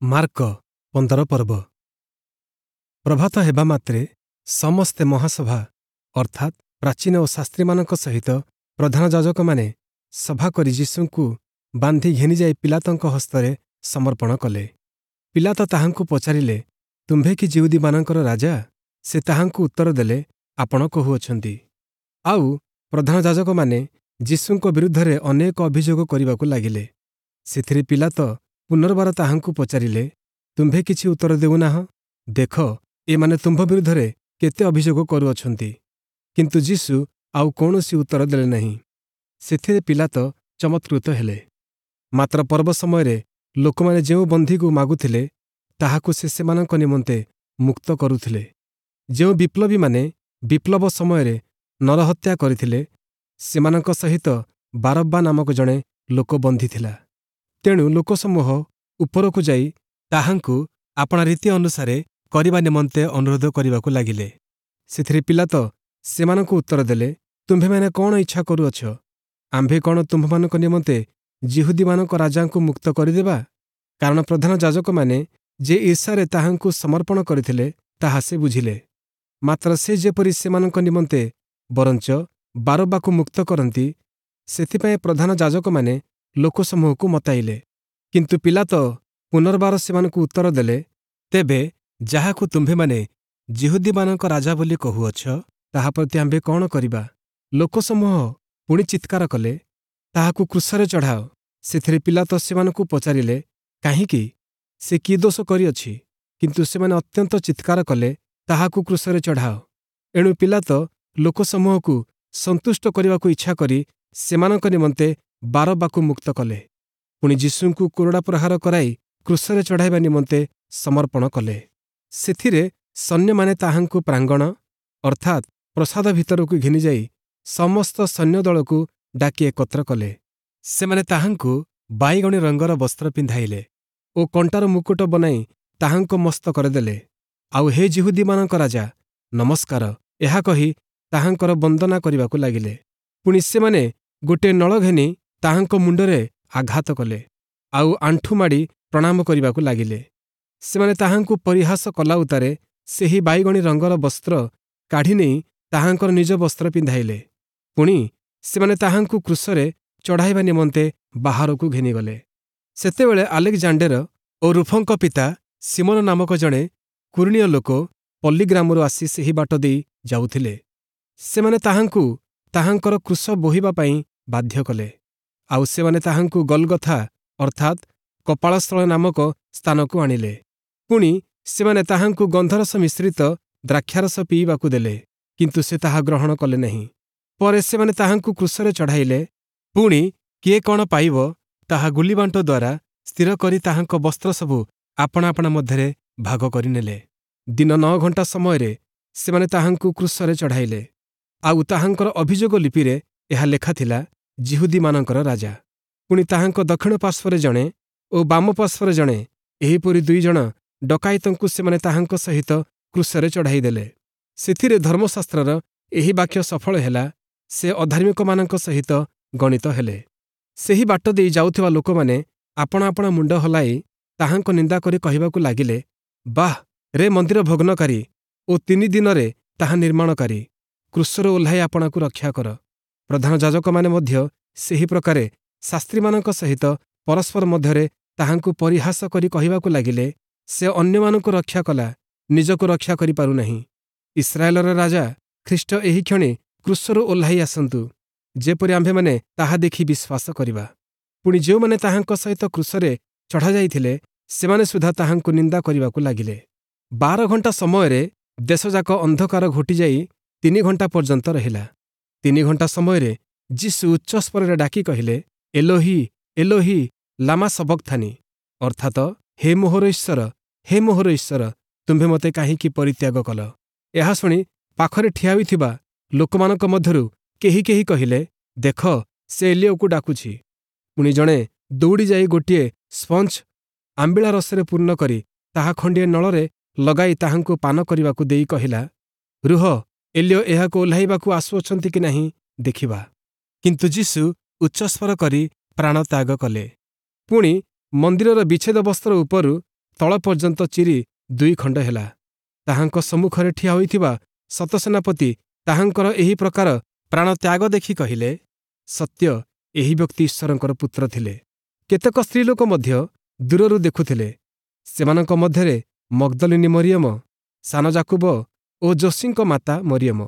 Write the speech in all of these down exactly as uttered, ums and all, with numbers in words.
Mark ପନ୍ଦର ପର୍ବ ପ୍ରଭାତ ହେବା ମାତ୍ରେ ସମସ୍ତେ ମହାସଭା ଅର୍ଥାତ୍ ପ୍ରାଚୀନ ଓ ଶାସ୍ତ୍ରୀମାନଙ୍କ ସହିତ ପ୍ରଧାନ ଯାଜକମାନେ ସଭା କରି ଯୀଶୁଙ୍କୁ ବାନ୍ଧି ଘେନିଯାଇ ପୀଲାତଙ୍କ ହସ୍ତରେ ସମର୍ପଣ କଲେ। ପୀଲାତ ତାହାଙ୍କୁ ପଚାରିଲେ, ତୁମ୍ଭେ କି ଯିହୁଦୀମାନଙ୍କର ରାଜା? ସେ ତାହାଙ୍କୁ ଉତ୍ତର ଦେଲେ, ଆପଣ କହୁଅଛନ୍ତି। ଆଉ ପ୍ରଧାନ ଯାଜକମାନେ ଯୀଶୁଙ୍କ ବିରୁଦ୍ଧରେ ଅନେକ ଅଭିଯୋଗ କରିବାକୁ ଲାଗିଲେ। ସେଥିରେ ପୀଲାତ ପୁନର୍ବାର ତାହାଙ୍କୁ ପଚାରିଲେ, ତୁମ୍ଭେ କିଛି ଉତ୍ତର ଦେଉନାହଁ? ଦେଖ, ଏମାନେ ତୁମ୍ଭ ବିରୁଦ୍ଧରେ କେତେ ଅଭିଯୋଗ କରୁଅଛନ୍ତି। କିନ୍ତୁ ଯୀଶୁ ଆଉ କୌଣସି ଉତ୍ତର ଦେଲେ ନାହିଁ। ସେଥିରେ ପୀଲାତ ଚମତ୍କୃତ ହେଲେ। ମାତ୍ର ପର୍ବ ସମୟରେ ଲୋକମାନେ ଯେଉଁ ବନ୍ଦୀକୁ ମାଗୁଥିଲେ, ତାହାକୁ ସେ ସେମାନଙ୍କ ନିମନ୍ତେ ମୁକ୍ତ କରୁଥିଲେ। ଯେଉଁ ବିପ୍ଳବୀମାନେ ବିପ୍ଳବ ସମୟରେ ନରହତ୍ୟା କରିଥିଲେ, ସେମାନଙ୍କ ସହିତ ବାରବ୍ବା ନାମକ ଜଣେ ଲୋକ ବନ୍ଦୀ ଥିଲା। ତେଣୁ ଲୋକସମୂହ ଉପରକୁ ଯାଇ ତାହାଙ୍କୁ ଆପଣା ରୀତି ଅନୁସାରେ କରିବା ନିମନ୍ତେ ଅନୁରୋଧ କରିବାକୁ ଲାଗିଲେ। ସେଥିରେ ପୀଲାତ ସେମାନଙ୍କୁ ଉତ୍ତର ଦେଲେ, ତୁମ୍ଭେମାନେ କଅଣ ଇଚ୍ଛା କରୁଅଛ? ଆମ୍ଭେ କଅଣ ତୁମ୍ଭମାନଙ୍କ ନିମନ୍ତେ ଯିହୁଦୀମାନଙ୍କ ରାଜାଙ୍କୁ ମୁକ୍ତ କରିଦେବା? କାରଣ ପ୍ରଧାନ ଯାଜକମାନେ ଯେ ଈର୍ଷାରେ ତାହାଙ୍କୁ ସମର୍ପଣ କରିଥିଲେ, ତାହା ସେ ବୁଝିଲେ। ମାତ୍ର ସେ ଯେପରି ସେମାନଙ୍କ ନିମନ୍ତେ ବରଞ୍ଚ ବାରବ୍ବାକୁ ମୁକ୍ତ କରନ୍ତି, ସେଥିପାଇଁ ପ୍ରଧାନ ଯାଜକମାନେ ଲୋକସମୂହକୁ ମତାଇଲେ। କିନ୍ତୁ ପୀଲାତ ପୁନର୍ବାର ସେମାନଙ୍କୁ ଉତ୍ତର ଦେଲେ, ତେବେ ଯାହାକୁ ତୁମ୍ଭେମାନେ ଯିହୁଦୀମାନଙ୍କ ରାଜା ବୋଲି କହୁଅଛ, ତାହା ପ୍ରତି ଆମ୍ଭେ କଅଣ କରିବା? ଲୋକସମୂହ ପୁଣି ଚିତ୍କାର କଲେ, ତାହାକୁ କ୍ରୁଶରେ ଚଢ଼ାଅ। ସେଥିରେ ପୀଲାତ ସେମାନଙ୍କୁ ପଚାରିଲେ, କାହିଁକି? ସେ କି ଦୋଷ କରିଅଛି? କିନ୍ତୁ ସେମାନେ ଅତ୍ୟନ୍ତ ଚିତ୍କାର କଲେ, ତାହାକୁ କ୍ରୁଶରେ ଚଢ଼ାଅ। ଏଣୁ ପୀଲାତ ଲୋକସମୂହକୁ ସନ୍ତୁଷ୍ଟ କରିବାକୁ ଇଚ୍ଛା କରି ସେମାନଙ୍କ ନିମନ୍ତେ ବାରବ୍ବାକୁ ମୁକ୍ତ କଲେ। ପୁଣି ଯୀଶୁଙ୍କୁ କୋରଡ଼ା ପ୍ରହାର କରାଇ କ୍ରୁଶରେ ଚଢ଼ାଇବା ନିମନ୍ତେ ସମର୍ପଣ କଲେ। ସେଥିରେ ସୈନ୍ୟମାନେ ତାହାଙ୍କୁ ପ୍ରାଙ୍ଗଣ ଅର୍ଥାତ୍ ପ୍ରାସାଦ ଭିତରକୁ ଘେନିଯାଇ ସମସ୍ତ ସୈନ୍ୟଦଳକୁ ଡାକି ଏକତ୍ର କଲେ। ସେମାନେ ତାହାଙ୍କୁ ବାଇଗଣୀ ରଙ୍ଗର ବସ୍ତ୍ର ପିନ୍ଧାଇଲେ ଓ କଣ୍ଟାର ମୁକୁଟ ବନାଇ ତାହାଙ୍କ ମସ୍ତକରେ ଦେଲେ। ଆଉ ହେ ଯିହୁଦୀମାନଙ୍କ ରାଜା, ନମସ୍କାର, ଏହା କହି ତାହାଙ୍କର ବନ୍ଦନା କରିବାକୁ ଲାଗିଲେ। ପୁଣି ସେମାନେ ଗୋଟିଏ ନଳ ଘେନି ତାହାଙ୍କ ମୁଣ୍ଡରେ ଆଘାତ କଲେ, ଆଉ ଆଣ୍ଠୁ ମାଡ଼ି ପ୍ରଣାମ କରିବାକୁ ଲାଗିଲେ। ସେମାନେ ତାହାଙ୍କୁ ପରିହାସ କଲା ଉତ୍ତାରେ ସେହି ବାଇଗଣୀ ରଙ୍ଗର ବସ୍ତ୍ର କାଢ଼ିନେଇ ତାହାଙ୍କର ନିଜ ବସ୍ତ୍ର ପିନ୍ଧାଇଲେ। ପୁଣି ସେମାନେ ତାହାଙ୍କୁ କ୍ରୁଶରେ ଚଢ଼ାଇବା ନିମନ୍ତେ ବାହାରକୁ ଘେନିଗଲେ। ସେତେବେଳେ ଆଲେକ୍ଜାଣ୍ଡେର ଓ ରୁଫଙ୍କ ପିତା ଶିମୋନ ନାମକ ଜଣେ କୁରୀଣୀୟ ଲୋକ ପଲ୍ଲୀଗ୍ରାମରୁ ଆସି ସେହି ବାଟ ଦେଇ ଯାଉଥିଲେ। ସେମାନେ ତାହାଙ୍କୁ ତାହାଙ୍କର କ୍ରୁଶ ବୋହିବା ପାଇଁ ବାଧ୍ୟ କଲେ। ଆଉ ସେମାନେ ତାହାଙ୍କୁ ଗଲଗଥା ଅର୍ଥାତ୍ କପାଳସ୍ଥଳ ନାମକ ସ୍ଥାନକୁ ଆଣିଲେ। ପୁଣି ସେମାନେ ତାହାଙ୍କୁ ଗନ୍ଧରସ ମିଶ୍ରିତ ଦ୍ରାକ୍ଷାରସ ପିଇବାକୁ ଦେଲେ, କିନ୍ତୁ ସେ ତାହା ଗ୍ରହଣ କଲେ ନାହିଁ। ପରେ ସେମାନେ ତାହାଙ୍କୁ କ୍ରୁଶରେ ଚଢ଼ାଇଲେ। ପୁଣି କିଏ କଣ ପାଇବ ତାହା ଗୁଲିବାଣ୍ଟ ଦ୍ୱାରା ସ୍ଥିର କରି ତାହାଙ୍କ ବସ୍ତ୍ର ସବୁ ଆପଣା ଆପଣା ମଧ୍ୟରେ ଭାଗ କରିନେଲେ। ଦିନ ନଅ ଘଣ୍ଟା ସମୟରେ ସେମାନେ ତାହାଙ୍କୁ କ୍ରୁଶରେ ଚଢ଼ାଇଲେ। ଆଉ ତାହାଙ୍କର ଅଭିଯୋଗ ଲିପିରେ ଏହା ଲେଖା ଥିଲା, ଯିହୁଦୀମାନଙ୍କର ରାଜା। ପୁଣି ତାହାଙ୍କ ଦକ୍ଷିଣ ପାର୍ଶ୍ୱରେ ଜଣେ ଓ ବାମ ପାର୍ଶ୍ୱରେ ଜଣେ, ଏହିପରି ଦୁଇ ଜଣ ଡକାୟତଙ୍କୁ ସେମାନେ ତାହାଙ୍କ ସହିତ କ୍ରୁଶରେ ଚଢ଼ାଇଦେଲେ। ସେଥିରେ ଧର୍ମଶାସ୍ତ୍ରର ଏହି ବାକ୍ୟ ସଫଳ ହେଲା, ସେ ଅଧାର୍ମିକମାନଙ୍କ ସହିତ ଗଣିତ ହେଲେ। ସେହି ବାଟ ଦେଇ ଯାଉଥିବା ଲୋକମାନେ ଆପଣା ଆପଣା ମୁଣ୍ଡ ହଲାଇ ତାହାଙ୍କ ନିନ୍ଦା କରି କହିବାକୁ ଲାଗିଲେ, ବାଃ ରେ ମନ୍ଦିର ଭଗ୍ନକାରୀ ଓ ତିନି ଦିନରେ ତାହା ନିର୍ମାଣକାରୀ, କ୍ରୁଶରୁ ଓହ୍ଲାଇ ଆପଣାକୁ ରକ୍ଷା କର। ପ୍ରଧାନ ଯାଜକମାନେ ମଧ୍ୟ ସେହି ପ୍ରକାରେ ଶାସ୍ତ୍ରୀମାନଙ୍କ ସହିତ ପରସ୍ପର ମଧ୍ୟରେ ତାହାଙ୍କୁ ପରିହାସ କରି କହିବାକୁ ଲାଗିଲେ, ସେ ଅନ୍ୟମାନଙ୍କୁ ରକ୍ଷା କଲା, ନିଜକୁ ରକ୍ଷା କରିପାରୁନାହିଁ। ଇସ୍ରାଏଲର ରାଜା ଖ୍ରୀଷ୍ଟ ଏହିକ୍ଷଣି କ୍ରୁଶରୁ ଓହ୍ଲାଇ ଆସନ୍ତୁ, ଯେପରି ଆମ୍ଭେମାନେ ତାହା ଦେଖି ବିଶ୍ୱାସ କରିବା। ପୁଣି ଯେଉଁମାନେ ତାହାଙ୍କ ସହିତ କ୍ରୁଶରେ ଚଢ଼ାଯାଇଥିଲେ, ସେମାନେ ସୁଦ୍ଧା ତାହାଙ୍କୁ ନିନ୍ଦା କରିବାକୁ ଲାଗିଲେ। ବାର ଘଣ୍ଟା ସମୟରେ ଦେଶଯାକ ଅନ୍ଧକାର ଘୋଟିଯାଇ ତିନି ଘଣ୍ଟା ପର୍ଯ୍ୟନ୍ତ ରହିଲା। ତିନି ଘଣ୍ଟା ସମୟରେ ଯୀଶୁ ଉଚ୍ଚସ୍ୱରରେ ଡାକି କହିଲେ, ଏଲୋହି, ଏଲୋହି, ଲାମା ସବକ୍ଥାନି, ଅର୍ଥାତ ହେ ମୋହର ଈଶ୍ୱର, ହେ ମୋହର ଈଶ୍ୱର, ତୁମ୍ଭେ ମୋତେ କାହିଁକି ପରିତ୍ୟାଗ କଲ? ଏହା ଶୁଣି ପାଖରେ ଠିଆ ହୋଇଥିବା ଲୋକମାନଙ୍କ ମଧ୍ୟରୁ କେହି କେହି କହିଲେ, ଦେଖ, ସେ ଏଲିୟକୁ ଡାକୁଛି। ପୁଣି ଜଣେ ଦୌଡ଼ି ଯାଇ ଗୋଟିଏ ସ୍ପଞ୍ଜ ଆମ୍ବିଳା ରସରେ ପୂର୍ଣ୍ଣ କରି ତାହା ଖଣ୍ଡିଏ ନଳରେ ଲଗାଇ ତାହାଙ୍କୁ ପାନ କରିବାକୁ ଦେଇ କହିଲା, ରୁହ, ଏଲିୟ ଏହାକୁ ଓହ୍ଲାଇବାକୁ ଆସୁଅଛନ୍ତି କି ନାହିଁ ଦେଖିବା। କିନ୍ତୁ ଯୀଶୁ ଉଚ୍ଚସ୍ୱର କରି ପ୍ରାଣତ୍ୟାଗ କଲେ। ପୁଣି ମନ୍ଦିରର ବିଚ୍ଛେଦ ବସ୍ତ୍ର ଉପରୁ ସ୍ଥଳ ପର୍ଯ୍ୟନ୍ତ ଚିରି ଦୁଇ ଖଣ୍ଡ ହେଲା। ତାହାଙ୍କ ସମ୍ମୁଖରେ ଠିଆ ହୋଇଥିବା ଶତସେନାପତି ତାହାଙ୍କର ଏହି ପ୍ରକାର ପ୍ରାଣତ୍ୟାଗ ଦେଖି କହିଲେ, ସତ୍ୟ ଏହି ବ୍ୟକ୍ତି ଈଶ୍ୱରଙ୍କର ପୁତ୍ର ଥିଲେ। କେତେକ ସ୍ତ୍ରୀଲୋକ ମଧ୍ୟ ଦୂରରୁ ଦେଖୁଥିଲେ। ସେମାନଙ୍କ ମଧ୍ୟରେ ମଗ୍ଦଲିନୀ ମରିୟମ, ସାନ ଯାକୁବ ଓ ଯୋଶୀଙ୍କ ମାତା ମରିୟମ,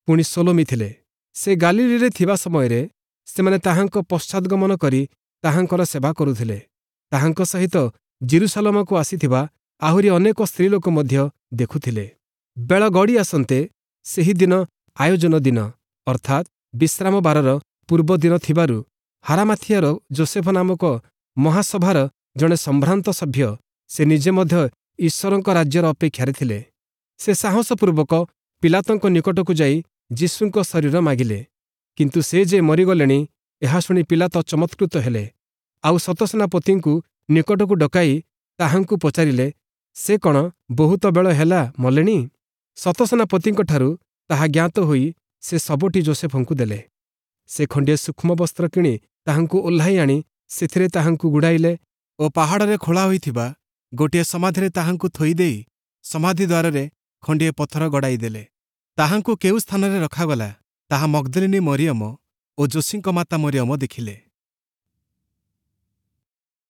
ପୁଣି ସଲୋମି ଥିଲେ। ସେ ଗାଲିଲୀରେ ଥିବା ସମୟରେ ସେମାନେ ତାହାଙ୍କ ପଶ୍ଚାଦଗମନ କରି ତାହାଙ୍କର ସେବା କରୁଥିଲେ। ତାହାଙ୍କ ସହିତ ଯିରୂଶାଲମକୁ ଆସିଥିବା ଆହୁରି ଅନେକ ସ୍ତ୍ରୀଲୋକ ମଧ୍ୟ ଦେଖୁଥିଲେ। ବେଳ ଗଡ଼ି ଆସନ୍ତେ ସେହି ଦିନ ଆୟୋଜନ ଦିନ, ଅର୍ଥାତ୍ ବିଶ୍ରାମ ବାରର ପୂର୍ବ ଦିନ ଥିବାରୁ ହାରାମାଥିଆର ଯୋସେଫ ନାମକ ମହାସଭାର ଜଣେ ସମ୍ଭ୍ରାନ୍ତ ସଭ୍ୟ, ସେ ନିଜେ ମଧ୍ୟ ଈଶ୍ୱରଙ୍କ ରାଜ୍ୟର ଅପେକ୍ଷାରେ ଥିଲେ। ସେ ସାହସପୂର୍ବକ ପିଲାତଙ୍କ ନିକଟକୁ ଯାଇ ଯୀଶୁଙ୍କ ଶରୀର ମାଗିଲେ। କିନ୍ତୁ ସେ ଯେ ମରିଗଲେଣି, ଏହା ଶୁଣି ପିଲାତ ଚମତ୍କୃତ ହେଲେ। ଆଉ ଶତସେନାପତିଙ୍କୁ ନିକଟକୁ ଡକାଇ ତାହାଙ୍କୁ ପଚାରିଲେ, ସେ କ'ଣ ବହୁତ ବେଳ ହେଲା ମଲେଣି? ଶତସେନାପତିଙ୍କଠାରୁ ତାହା ଜ୍ଞାତ ହୋଇ ସେ ଶବଟି ଯୋସେଫଙ୍କୁ ଦେଲେ। ସେ ଖଣ୍ଡିଏ ସୂକ୍ଷ୍ମ ବସ୍ତ୍ର କିଣି ତାହାଙ୍କୁ ଓହ୍ଲାଇ ଆଣି ସେଥିରେ ତାହାଙ୍କୁ ଗୁଡ଼ାଇଲେ ଓ ପାହାଡ଼ରେ ଖୋଳା ହୋଇଥିବା ଗୋଟିଏ ସମାଧିରେ ତାହାଙ୍କୁ ଥୋଇଦେଇ ସମାଧି ଦ୍ୱାରରେ ଖଣ୍ଡିଏ ପଥର ଗଡ଼ାଇ ଦେଲେ। ତାହାଙ୍କୁ କେଉଁ ସ୍ଥାନରେ ରଖାଗଲା, ତାହା ମଗ୍ଦଲିନୀ ମରିୟମ ଓ ଯୋଶୀଙ୍କ ମାତା ମରିୟମ ଦେଖିଲେ।